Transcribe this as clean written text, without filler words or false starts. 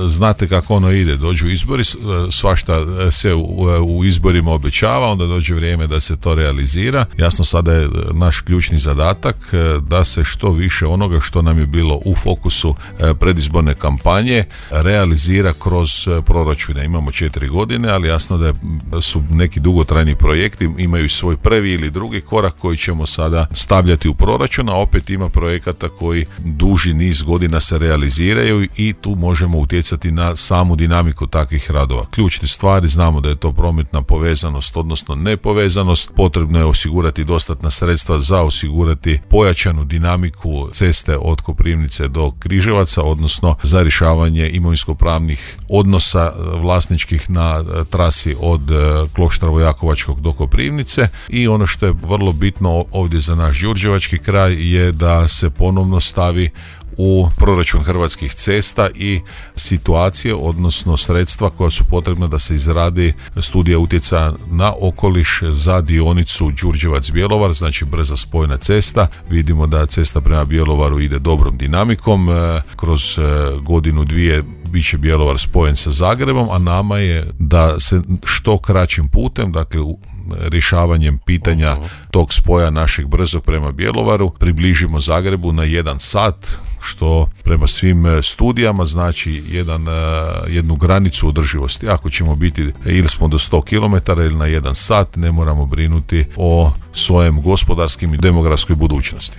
znate kako ono ide, dođu izbori, svašta se u izborima obećava, onda dođe vrijeme da se to realizira. Jasno, sada je naš ključni zadatak da se što više onoga što nam je bilo u fokusu predizborne kampanje realizira kroz proračune. Imamo 4 godine, ali jasno da su neki dugotrajni projekti, imaju svoj prvi ili drugi korak koji ćemo sada stavljati u proračun, a opet ima projekata koji duži niz godina se realiziraju i tu možemo utjecati na samu dinamiku takvih radova. Ključne stvari, znamo da je to prometna povezanost, odnosno nepovezanost, potrebno je osigurati dostatna sredstva za osigurati pojačanu dinamiku ceste od Koprivnice do Križevaca, odnosno za rješavanje imovinsko-pravnih odnosa vlasničkih na trasi od Kloštra Vojakovačkog do Koprivnice. I ono što je vrlo bitno ovdje za naš đurđevački kraj je da se ponovno stavi u proračun Hrvatskih cesta i situacije, odnosno sredstva koja su potrebna da se izradi studija utjecaja na okoliš za dionicu Đurđevac-Bjelovar, znači brza spojna cesta. Vidimo da cesta prema Bjelovaru ide dobrom dinamikom, kroz godinu, dvije bit će Bjelovar spojen sa Zagrebom, a nama je da se što kraćim putem, dakle rješavanjem pitanja tog spoja našeg brzog prema Bjelovaru, približimo Zagrebu na 1 sat, što prema svim studijama znači jednu granicu održivosti. Ako ćemo biti ili smo do 100 km ili na 1 sat, ne moramo brinuti o svojem gospodarskim i demografskoj budućnosti.